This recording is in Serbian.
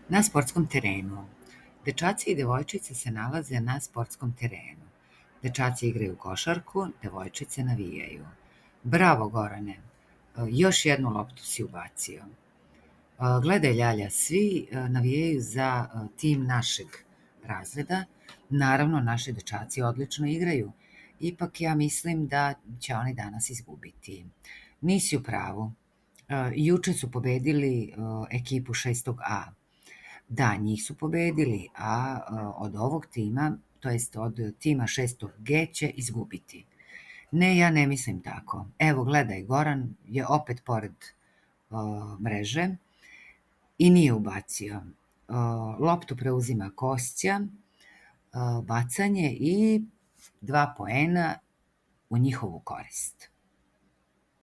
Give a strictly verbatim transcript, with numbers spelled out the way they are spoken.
Na sportskom terenu. Dečaci i devojčice se nalaze na sportskom terenu. Dečaci igraju košarku, devojčice navijaju. Bravo, Gorane, još jednu loptu si ubacio. Gledaj, Ljalja, svi navijaju za tim našeg razreda. Naravno, naši dečaci odlično igraju. Ipak ja mislim da će oni danas izgubiti. Nisi u pravu. Juče su pobedili ekipu šestog A. Da, njih su pobedili, a od ovog tima, to jest od tima šestog G će izgubiti. Ne, ja ne mislim tako. Evo, gledaj, Goran je opet pored o, mreže i nije ubacio. O, loptu preuzima Kostja, o, bacanje i dva poena u njihovu korist.